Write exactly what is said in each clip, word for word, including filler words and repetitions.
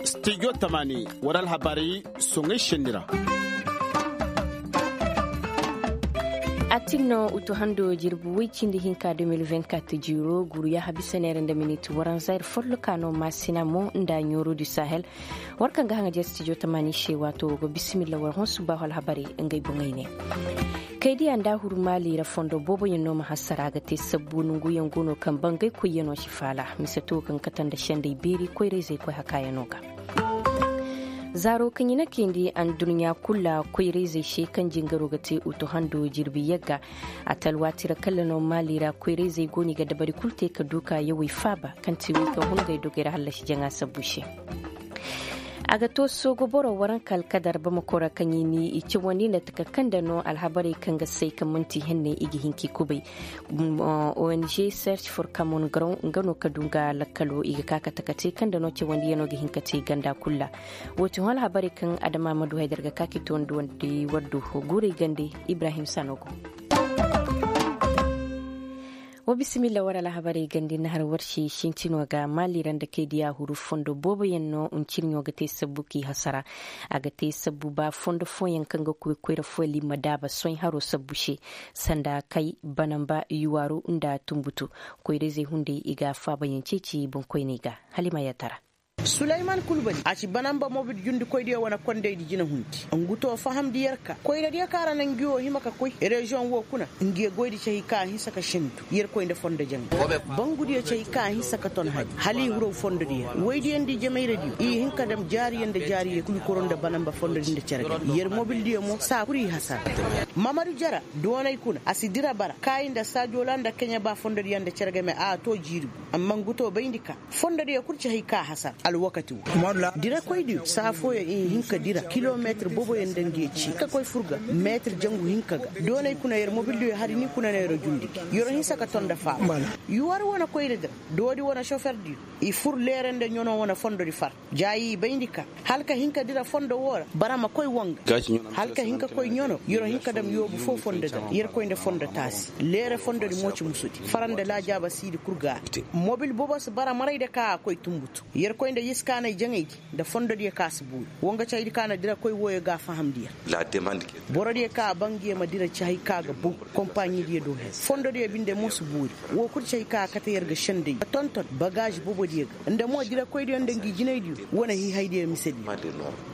Studio tamani war alhabaray soŋay senni ra. A tin no utu hando jirbi woy cindi hinka deux mille vingt-quatre jiiro guruya habisa neera nda miniti waranza ir folloka no maasina mo nda ɲooro du sahel. War kaŋ ga haŋa jere studio tamani se waato wo go bisimilla war hõ subbaahu alhabarey ngey boŋey ne. Kaydiya nda huru maali ra fondo booboyaŋ no ma hasara a ga te sabbu nonguyaŋ go no kaŋ bangay koyyaŋo si faala mise to kaŋ kate nda sendey beeri koyra-izey koy hakaayaŋo ga. Zaaro kaŋ i na kayndi adduɲɲa kulu ra koyra-izey se kaŋ jingaro ga te utu hando jirbi yagga. A talwaati ra kalla no maali ra koyra-izey go no i ga dabari kulu te ka du ka yawey faaba kaŋ ti wey kaŋ hungay dogey ra hallasi jaŋa sabbu se. A ga to soogo boro waranka alkadar bamako ra kaŋ i ni i cawandi nda taka kaŋ nda no alhabarey kaŋ ga say kaŋ manti henney i ga hin ka i kubay. Ong search for common ground nga no ka du nga lakkalo i ga ka ka taka te kaŋ nda no cawandiyano ga hin ka te ganda kulu ra. Wo ti hõ alhabarey kaŋ adama ma du haydar ga ka ka i tondi wandi waddu guurey gande. Ibrahim sanogo. Wa bisimilla war alhabarey gandi na har war se sintino ga maali ra nda kay diya huru fondo booboyaŋ no ncirɲo ga te sabbu k'i hasara. A ga te sabbu ba fondo fooyaŋ kaŋ ga koy koyra fooyaŋ i ma daaba soy haro sabbu se. Sanda kay banamba yuwaaru nda tumbutu koyra-izey hunday i ga faabayaŋ ceeci boŋkoyney ga. Hala i ma yaatara. Sulayman kulbali a ci banamba mobil jundikoydiyo wane kondaydi jinahundi. Ngu to fahamndi yer ka koyradiyo kaŋ ra na ngi wo hima ka koy reziyoŋ wo kuna. Ngi ye goydi cahi ka a hinsa ka sendu yerkoy nda fondo jaŋay. Bangudiyo cahi ka a hinsa ka ton hari hala i huraw fondodiyo ra woydiyo nda i jamayradiyo i hin ka dam jaariyo nda jaariyo kul koro nda banamba fondodi nda cere game yer mobildiyo mo saa kul i hasara. Mamadu jara doonay kuna a si dira bara kaayi nda saajola nda keɲe ba fondodiyo nda cere game a to jiiri gu. Amma ngu to bayndi ka fondodiyo kul ci hay ka a hasar alwakati wo. Dirakoydiyo saa fooyaŋ i hin ka dira kilometir booboyaŋ nda ngi ye ci ka koy fur ga meetir jangu hinka ga. Doonay kuna yer mobildiyo hari ni kuna na yer jundi gi yer hinsa ka ton nda faaba. Yuwar wane koyra dira doodi wane soferdiyo i fur leere nda ɲano wane fondodi far. Jaayi i bayndi ka hala ka hin ka dira fondo woo ra bara ma koy woo nga. Hala ka hin ka koy ɲano yer hin ka dam yoobu foo fondo ga yer koy nda fondo taasi leere fondodi mo ci musudi fara nda laajaaba siidi kul ga a te. Mobil boobo si bara maray nda ka a koy tumbutu yer koy nda iskaanay jaŋaydi nda fondodiyo ka si buuri. Woo nga caydi ka na dira koy wooyo ga a fahamndi yer. Borodiyo ka a ba ngi ye ma dira ci hay ka ga bow. Kompaɲidiyo do her fondodiyo binde mo si buuri. Woo kul ci hay ka a kate yer ga senday ka tonton bagaazi boobodiyo ga nda mo dirakoydiyo nda ngi jinaydiyo wane hiihaydiyo misediyo.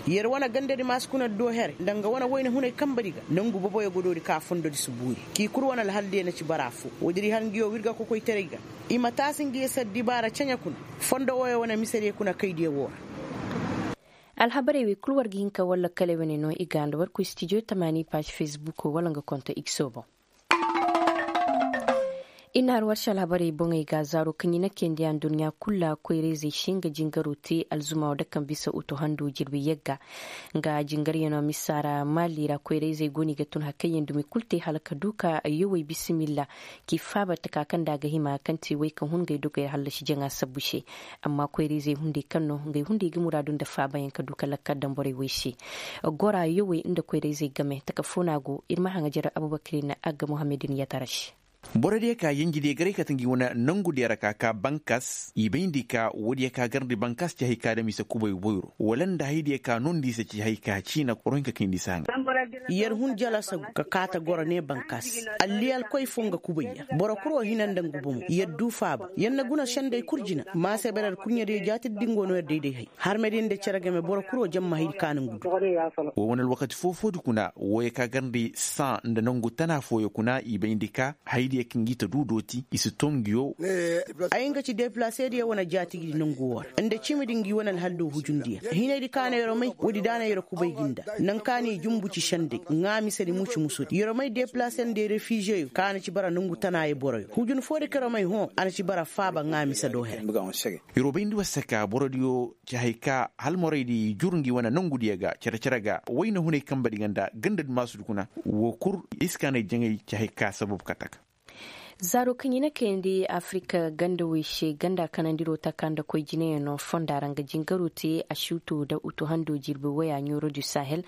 Yer wane gandadi maasi kuna do here nda nga wane wayna hunay kambadi ga nongu boboyo ga doori ka fondodi si buuri. K'i kul wane alhaldiyo na ci bara foo woodi di har ngi yoo wirga kokoytaray ga. I ma taasi ngi ye sar dibaara ceɲe kuna fondo wooyo wane misediyo kuna kaydiyo woo ra. Alhabarey wey kul war ga hin ka war lakkaley wane no i ga nda war koy stijo tamaani paaz fesbuko wala nga konto ikso boŋ. Ir na har war se alhabarey boŋey ga zaaro kaŋ i na kayndi anduɲɲa kul ra koyra-izey se nga jingaro te alzuma wo da kaŋ bisa utu hando jirbi yagga. Nga jingaryaŋo misa ra maali ra koyra-izey go no i ga tun hari kaŋ yaŋ dumi kul te hala ka du ka yowey bisimilla. K'i faaba taka kaŋ nda a ga hima kaŋ te wey kaŋ hun ngey dogey ra hallasi jaŋa sabbu se. Amma koyra-izey hunday kaŋ no ngey hunday ga muraadu nda faabayaŋ ka du ka lakkal daŋ borey wey se. Gora yowey nda koyra-izey game taka foo no a go ir ma haŋajer abubakari na agga muhammadin yatara se. Borodiyo ka yenjidiyo garay kate ngi wane nongudiyo ra ka ka bankas i bayndi ka woodiyo ka garndi bankas ci hay ka dam i se kubay boyro wala nda haydiyo ka noondi i se ci hay ka ciina korohinka kayndi se a nga. Yer hun jalasagu ka kaata goro ne bankas. Alliyalkoy foo nga kubay yer boro kul wo hina nda ngu bomo yer du faaba yer na guna senday kul jina maasebere ra kurɲediyo jaatidi dingo no yer dayday hay harmediyo nda cere game boro kul wo jamma haydi ka na ngu du. Wo wane alwakati foo-foodi kuna wooyo ka garndi saŋ nda nongu tana fooyo kuna i bayndi ka haydiyo kaŋ gi ta du dooti i si to ngiyo. Ay nga ci deplasediyo wane jaatigi di nongu woo ra nda cimidi ngi wane alhaldo hujundiyo hinaydi ka na yer'o may woodi da na yer'o kubay gi nda naŋ ka na i jumbu ci senday ŋaamisedi muci musudi yer'o may deplaser nda refiziyeyo ka na ci bara nongu tanaayo boroyo hujun foodi ka yer'o may hõ a na ci bara faaba ŋaamisedo here. Yer'o bayndi war se ka borodiyo ci hay ka halmoraydi jur ngi wane nongudiyo ga cere-cere ga wayna hunay kambedi ga nda gandadi maasudi kuna. Woo kul iskaanay jaŋay ci hay ka sabab ka taka. Zaaro kaŋ i na kayandi afirik gandawey se ganda kanandiro taka nda koy jinayaŋo fonda ra nga jingaro te a suuto nda utu hando jirbi waya ɲooro du sahel.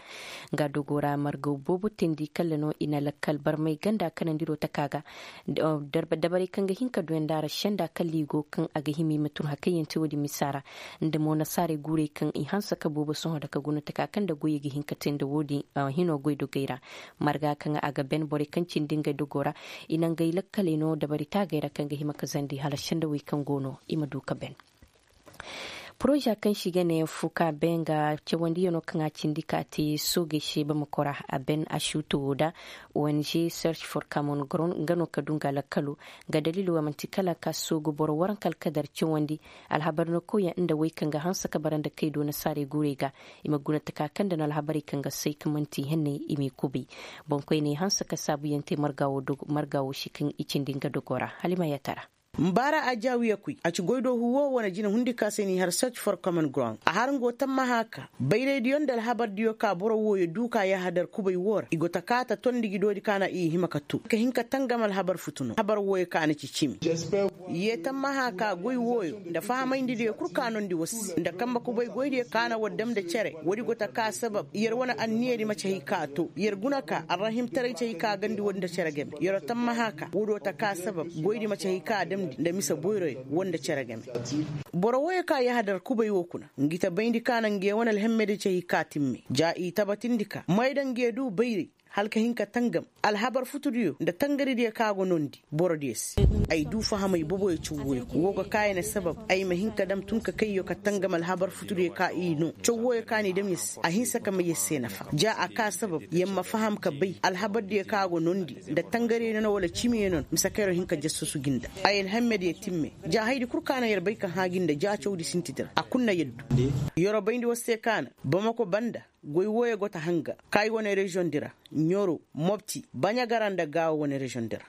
Nga dogo ra margaw boobo teendi kalla no i na lakkal barmay ganda kanandiro taka ga. Dabarey kaŋ ga hin ka duyandaara senda kalla i go kaŋ a ga hima i ma tun hakayyaŋ te wo-din misa ra. Nda mo nasaarey guurey kaŋ i hanse ka boobo sohõ nda ka guna taka kaŋ nda goyey ga hin ka te nda wo-din hino goydogey ra. Marga kaŋ a ga ben borey kaŋ cindi ngey dogo ra i na ngey lakkaley no dabari taagey ra kaŋ ga hima ka zandi hala sendawey kaŋ go no i ma du ka ben. Poroza kaŋ se i ga ne fuka benga cawandiyano kaŋ a cindi ka te soogey se bamako ra a ben a suuto wo da ong search for common ground nga no ka du nga lakkalo. Nga daliilo a man'ti kala ka soogu boro waranka alkadar cawandi alhabar no kawyaŋ nda wey kaŋ ga hanse ka bara nda kay do nasaarey guurey ga. I ma guna taka kaŋ nda no alhabarey kaŋ ga say ka man'ti henney i m'i kubay. Boŋkoyney hanse ka saabuyaŋ te marga wo se kaŋ i cindi nga dogo ra hala i ma yatara. Mbaara a jaawiya kuy a ci goydoohu wo wane jina hundi ka se n'i har search for common ground a har nga wo tammaha ka bayraydiyo nda alhabardiyo ka boro wooyo du ka yahadar kubay woo ra i go ta kaa ta tondi gi doodi ka na i hima ka too ka hin ka tangam alhabar futu no alhabar wooyo ka na ci cimi. Yee tammaha ka goy wooyo nda fahamayndi diyo kul ka nondi war se nda kambe kubay goydiyo ka na war dam nda cere woodi go ta kaa sabab yer wane anniyadi ma ci hay ka too yer guna ka arrahimtaray ci hay ka gandi woodi nda cere game yer tammaha ka woodi wo ta kaa sabab goydi ma ci hay ka damndi nda mise boyroyo woo nda cere game. Boro wooyo ka yahadar kubay woo kuna ngi ta bayndi ka na nge wane alhemmedi ci hay ka timme ja i tabatindi ka may da nge du bayray hala ka hin ka tangam alhabar futudiyo nda tangaridiyo ka go noondi borodiyo se. Ay du fahamay boboyo caw wooyo kuna woo ga kaayane sabab ay ma hin ka dam tun ka kayyo ka tangam alhabar futudiyo ka i noo caw wooyo ka n'i dam yer se a hinsa ka may yer se nafa ja a kaa sabab yer ma faham ka bay alhabardiyo ka go noondi nda tangariyo nono wala cimiyo nono mise ka yer hin ka jassasu gi nda ay alhammediyo timme ja hayadi kul ka na yer bay ka hã gi nda ja cawdi sintidi ra a kul na yer du. Yer bayndi war se ka na bamako banda goy wooyo go ta hanga kaayi wane reziyoŋ di ra ɲoro mopti baɲagara nda gaawo wane reziyoŋ di ra.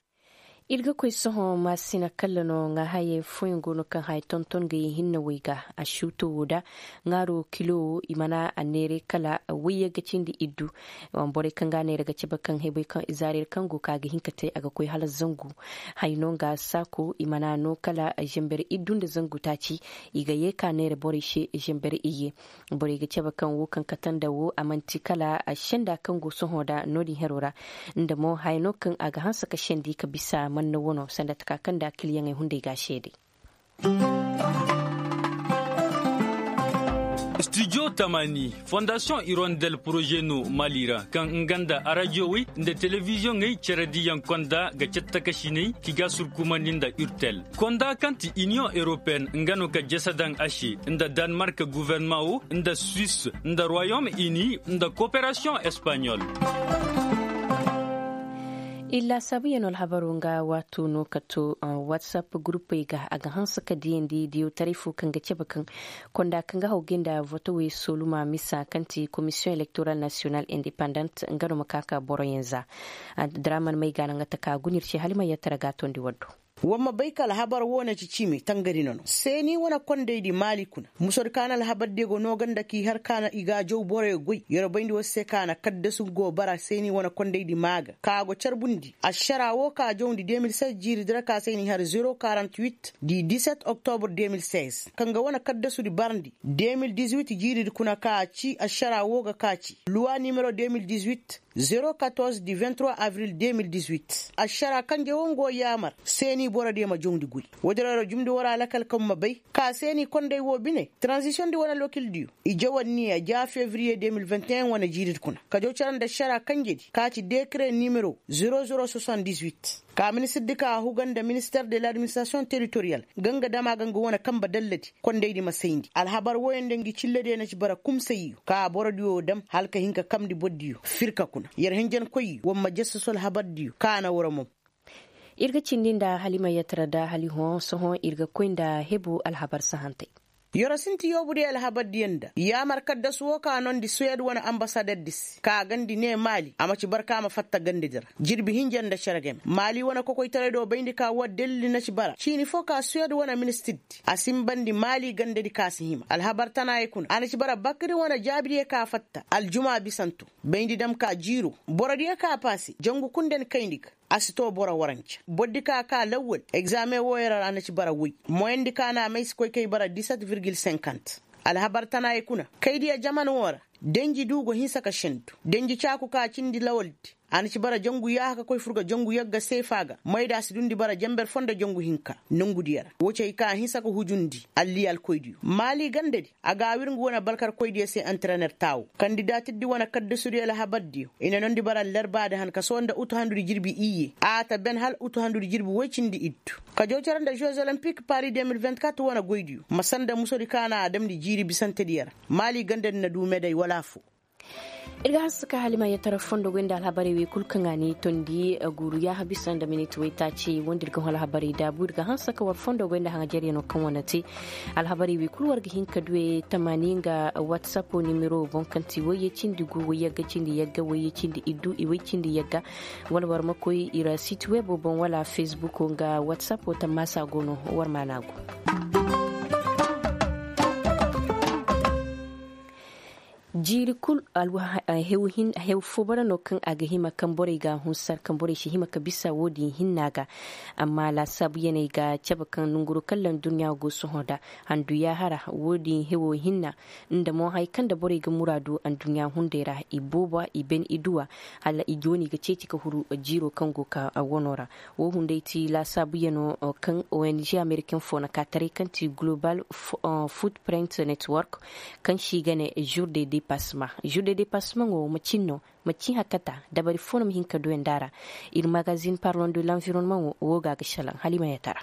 Ir ga koy sohõ maasina kalla no ŋaahayey fooyaŋ go no kaŋ haya tonton ga ye hinne wey ga a suuto wo da ŋaaro kilo wo i mana a neeray kala wayye ga cindi iddu. Borey kaŋ ga a neera ga cabe kaŋ hebey kaŋ i zaara ir kaŋ go ka ga hin ka te a ga koy hala zangu. Haya no nga saako i mana no kala zember iddu nda zangu taaci. I ga ye ka neera borey se zember iyye. Borey ga cabe kaŋ wo kaŋ kate nda wo a man'ti kala senda kaŋ go sohõ nda no-din hero ra. Nda mo haya no kaŋ a ga hanse ka sendi ka bisa manna wano sanda taka kaŋ nda kiliyaŋey hunday ga a seeday. Studio tamani fondasiyoŋ irondel poroze no mali ra kaŋ nga nda arajiyowey nda telebiziyoŋey cere diyaŋ konda ga cattakasiney ki ga surkumandi nda urtel konda kaŋ ti iniyoŋ europeen nga no ka jese daŋ a se nda danmark guvernement wo nda suisse nda royaume uni nda koperasiyoŋ espaɲol. Illa saabuyaŋ no alhabaro nga waato no ka to whatsapp gurupey ga a ga hanse ka diyandi diyotaray fo kaŋ ga cabe kaŋ konda kaŋ ga hawgay nda votowey soluma misa kaŋ ti komisiyoŋ elektoral nasiyonal independent nga no ma ka ka boroyaŋ za. Draman may ga naŋ ga taka guna ir se hala i ma yatara ga tondi waddo. War ma bay ka alhabar wo na ci ciimi tangari no no seeni wane kondaydi maali kuna musodi ka na alhabardiyo go noo ganda k'i har ka na i ga a jaw boroyo goy yer bayndi war se ka na kaddasu go bara seeni wane kondaydi maa ga ka go carbundi ašara wo ka jawndi deux mille seize jiiridi ra ka se n'i har zero quarante huit di dix-sept octobre deux mille seize kaŋ ga wane kaddasudi barandi deux mille dix-huit jiiridi kuna ka ci ašara wo ga ka ci luwa nimero deux mille dix-huit zero quatorze di vingt-trois avril deux mille dix-huit ašara kanje wo nga wo yaamar seeni borodiyo ma jawndi goy. Woodin ra jumndi war a lakal kaŋ ma bay ka seeni konday wo bine tranzisiyoŋdi wane lokildiyo i jaw anniya ja fevriye deux mille vingt et un wane jiiridi kuna ka jaw care nda ašara kanjedi ka ci dekare nimero zero zero soixante-dix-huit ka ministirdi ka a huga nda minister de l'administirasiyoŋ teritoriyal ga nga dama ga nga wane kambe dalladi kondaydi ma sayndi alhabar wooyo nda ngi cillediyo na ci bara kumsayyo ka borodiyo dam hala ka hin ka kamndi bordiyo firka kuna yer hinjankoyyo war ma jassasu alhabardiyo ka na war mom. Ir ga cindi nda hala i ma yatara da hala i hõ sohõ ir ga koy nda hebu alhabar sahantey. Yer sinti yoobudiyo alhabardiyo nda yaamar kaddasu woo ka noondi suwed wane ambasaderdi se ka gandi ne maali a ma ci bara ka ma fatta gandedi ra jirbi hinja nda cere game maali wane kokoytaray do bayndi ka war dalili na ci bara ciini foo ka suwed wane ministirdi a sinbandi maali gandedi ka si hima alhabar tanaayey kuna a na ci bara bakri wane jaabidiyo ka fatta aljuma bisanto bayndi dam ka jiiro borodiyo ka paase jangu kul nda ni kayndi ga. A si too boro warance bordi ka a kaa lawwal egzaameŋ wooyoo ra a na ci bara woy. Moyandi ka na a may si koy kay bara diset virgil senkant. Alhabar tanaayey kuna kaydiyo jaman woo ra. Denji du go hinsa ka sendu denji caaku ka cindi lawaldi. A na ci bara jangu yaaha ka koy fur ga jangu yagga seefa ga mayda a si dundi bara janber foo nda jangu hinka. Nongudiyo ra woo ci hay ka a hinsa ka hujundi alliya alkoydiyo maali gandadi. A ga a wir ngu wane balkarkoydiyo se antirener taawu kandidaatirdi wane kaddasudiyo alhabardiyo i na noondi bara allarbaadi han ka soo nda utu handudi jirbi iyye a ta ben hal utu handudi jirbi woy cindi iddu. Ka joocara nda žez olimpik pari de mil vingt-quatre wane goydiyo ma sanda musodi ka na a damndi jiiri bisantediyo ra. Maali gandadi na du meday wala afoo. Ir ga hanse ka halimayaŋ tara fondo goy nda alhabarey wey kul kaŋ a ni tondi guuru yaaha bisa nda minit waytaaci wanda ir ga hõ alhabarey daabu ir ga hanse ka war fondo goy nda haŋajaryaŋ no kaŋ wane te. Alhabarey wey kul war ga hin ka du e tamaani nga whatsapp nimero boŋ kaŋ ti wayye cindi gu wayye ga cindi yagga wayye cindi iddu i way cindi yagga. Wala war ma koy ir siti webo boŋ wala facebook nga whatsapp tammaasa go no. War ma na go. Jiiri kul hew fo bara no kaŋ a ga hima kaŋ borey ga a hunsar kaŋ borey si hima ka bisa wo-din hinna ga. Amma laasaabuyaney ga cabe kaŋ nanguroo kaŋ ra nduɲɲa go sohõ nda handu yaahara wo-din hewo hinna. Nda mo haya kaŋ nda borey ga muraadu nduɲɲa hunday ra i boobo i ben i duwa. Hala i gooni ga ceeci ka huru jiiroo kaŋ go ka wanoo ra. Wo hunday ti laasaabuyanoo kaŋ ong ameriken fo na ka taray kaŋ ti global footprint network. Kaŋ se i ga ne jour de depassement jour de depassement wo macin no? Macin hakata dabari fo no ma hin ka duwandi a ra. Ir magazin parlon de l'environnement wo wo ga a ga salaŋ hala i ma yatara.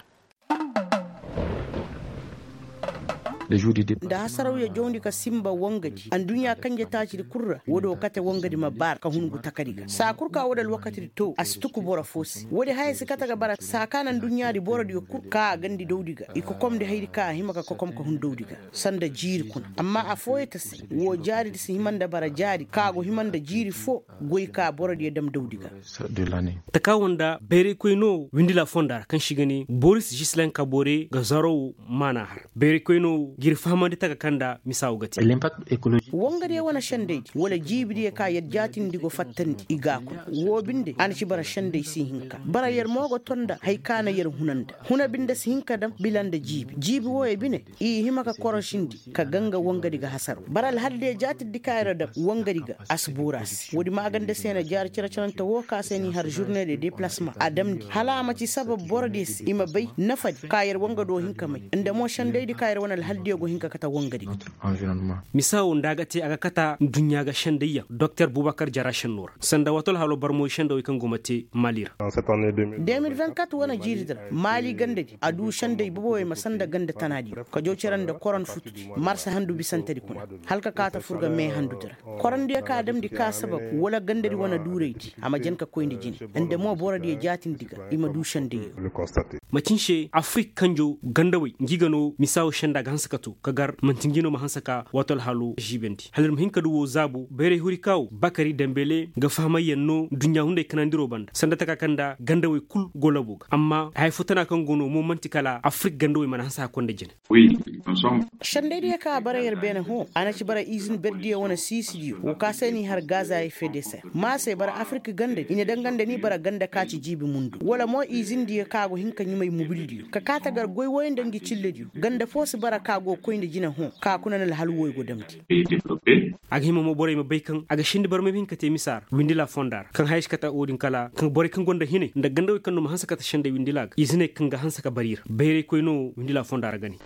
Nda hasarawyo jawndi ka sinba wangadi anduɲɲa kanje taacidi kul ra woodi wo kate wangadi ma baar ka hun ngu takadi ga saa kul ka woodi alwakatidi too a si tuku boro fo se woodi haya si kate ga bara saa ka na anduɲɲaadi borodiyo kul ka a gandi dawdi ga i kokomndi hayadi ka a hima ka kokom ka hun dawdi ga. Sanda jiiri kuna amma affooyo ta se woo jaaridi si hima nda bara jaari ka go hima nda jiiri fo. Goy ka borodiyo dam dawdi ga. Takaawo nda bayraykoy no windila fonda ra kaŋ se i ga ne boris žislen kabore ga zaro wo maana har bayraykoy no g'ir fahamandi taka kaŋ nda misa wo ga te. Wangadiyo wane sendaydi wala jiibidiyo ka yer jaatindi go fattandi i ga a kuna woo binde a na ci bara senday si hinka bara yer mo go to nda haya ka na yer huna nda huna binde si hinka dam bila nda jiibi jiibi wooyo bine i hima ka korosindi ka ganga wangadi ga hasaro bara alhaldiyo jaatindi ka yer dam wangadi ga a si buura se woodi maaganda se na jaari cere-cerante woo ka se n'i har žurne de depalasma a damndi hala a ma ci sabab borodiyo se i ma bay nafadi ka yer wangado hin ka may nda mo sendaydi ka yer wane alhaldiyo go hin ka kate wangadi ga. Misa wo nda a ga te a ga kata nduɲɲa ga sendayyaŋ doktor bubakar jara senno ra sanda waati alhalo barmoy sendawey kaŋ go ma te mali ra. De mil vingt-quatre wane jiiridi ra maali gandadi a du senday bobowey ma sanda ganda tanaadiyo ka jaw cere nda koron futudi marsa handu bisantedi kuna hala ka kaata fur ga mee handudi ra. Korondiyo ka damndi ka sabab wala gandadi wane duuraydi a ma jan ka koy nda jine nda mo borodiyo jaatindi ga i ma du sendayyo. Macin se afrik kanjo gandawey ngi ga no misa wo senda ga hanse ka to ka gar manti ngi no ma hanse ka waati alhalo žiibendi hala ir ma hin ka du wo zaabo bayray huri ka wo bakari dembele ga fahamayyaŋ no nduɲɲa hunday kanandiro banda sanda taka kaŋ nda gandawey kul go labo ga amma haya fo tana kaŋ go no mo man'ti kala afrik gandawey mana hanse hakkoy nda jine. Sendaydiyo kaŋ a bara yer beene hõ a na ci bara izin berdiyo wane siisidiyo woo ka se n'i har gaza effet de serre ma se bara afirka gandadi i na danga nda ni bara ganda ka ci jiibi mundu wala mo izindiyo kaŋ a go hin ka ɲumay mubildiyo ka kaa ta gar goy woy nda ngi cillediyo ganda fo si bara kaŋ a go ga koy nda jine hõ kaŋ a kuna na alhal woy go damndi. A ga hima mo borey ma bay kaŋ a ga sindi barmay ma hin ka te misa ra windila fonda ra kaŋ haya si kate wo-din kala kaŋ borey kaŋ gonda hinay nda gandawey kaŋ no ma hanse kate sendey windila ga iziney kaŋ ga hanse ka bar i ra bayraykoy no windila fonda ra ga ne.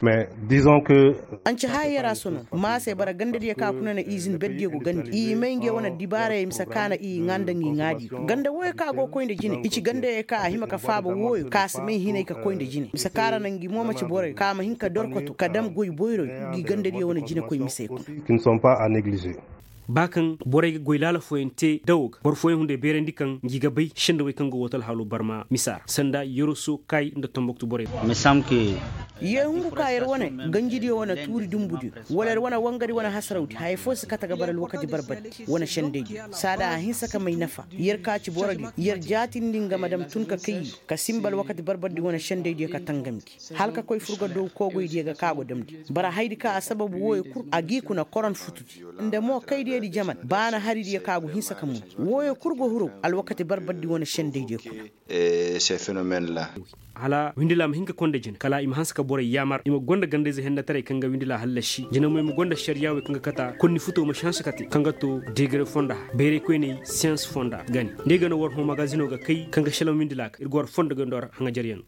Anca haya yer a sono ma se bara gandadiyo kaŋ a kuna na izin berdiyo go gandi i may ngey wane dibaarayey mise kaŋ a na i ŋaa nda ngi ŋaadiyo ganda wooyo kaŋ a go ga koy nda jine i ci gandayey kaŋ a hima ka faaba wooyo kaŋ a si may hinay ka koy nda jine mise kaŋ a ra na ngi mo ma ci boroyo kaŋ a ma hin ka dorkoto ka dam goy boyroyo ngi gandadiyo wane jinekoy misey kuna. Ba kaŋ borey ga goy laala fooyaŋ te dawo ga boro fooyaŋ hunday beerandi kaŋ ngi ga bay sendawey kaŋ go wata alhaalo barma misa ra sanda yeroso kay nda tomboktu borey. Ye hungu ka yer wane ganjidiyo wane tuuri dumbudiyo wala yer wane wangadi wane hasarawdi haya fo si kate ga bara alwakati barbardi wane sendaydiyo saada a hinsa ka may nafa yer ka ci borodiyo yer jaatindi nga ma dam tun ka kayyo ka sinba alwakati barbardi wane sendaydiyo ka tangam gi hala ka koy fur ga dow koogoydiyo ga ka go damndi bara hayadi ka a sababu wooyo kul a g'i kuna koron futudi nda mo kaydi. Jaman baana hari diyo ka go hinsa ka mun. Wooyo kul go hirow alwakati barbardi wane sendey diyo kuna. Hala windila ma hin ka konda jine kala i ma hanse ka borey yaamar i ma gonda gandayze hennataray kaŋ ga windila hallasi jine mo i ma gonda ašariyaa wey kaŋ ga kata konni futo ma si hanse ka te kaŋ ga to degere fonda bayray koyney siyans fonda ga ne. Nda ay ga no war hõ magazino ga kay kaŋ ga šelaŋ windila ka ir ga war fondo ga nda war haŋajaryaŋ.